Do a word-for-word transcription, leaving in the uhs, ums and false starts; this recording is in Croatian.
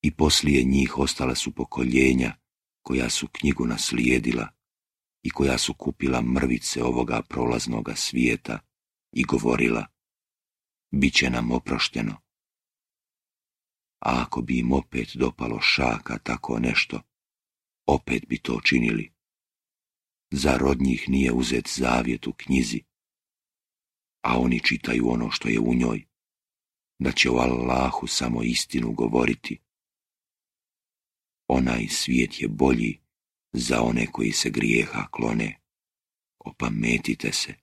I poslije njih ostala su pokoljenja koja su knjigu naslijedila i koja su kupila mrvice ovoga prolaznoga svijeta i govorila: bit će nam oprošteno. A ako bi im opet dopalo šaka tako nešto, opet bi to činili. Zar od njih nije uzet zavjet u knjizi, a oni čitaju ono što je u njoj, da će o Allahu samo istinu govoriti. Onaj svijet je bolji za one koji se grijeha klone. Opametite se.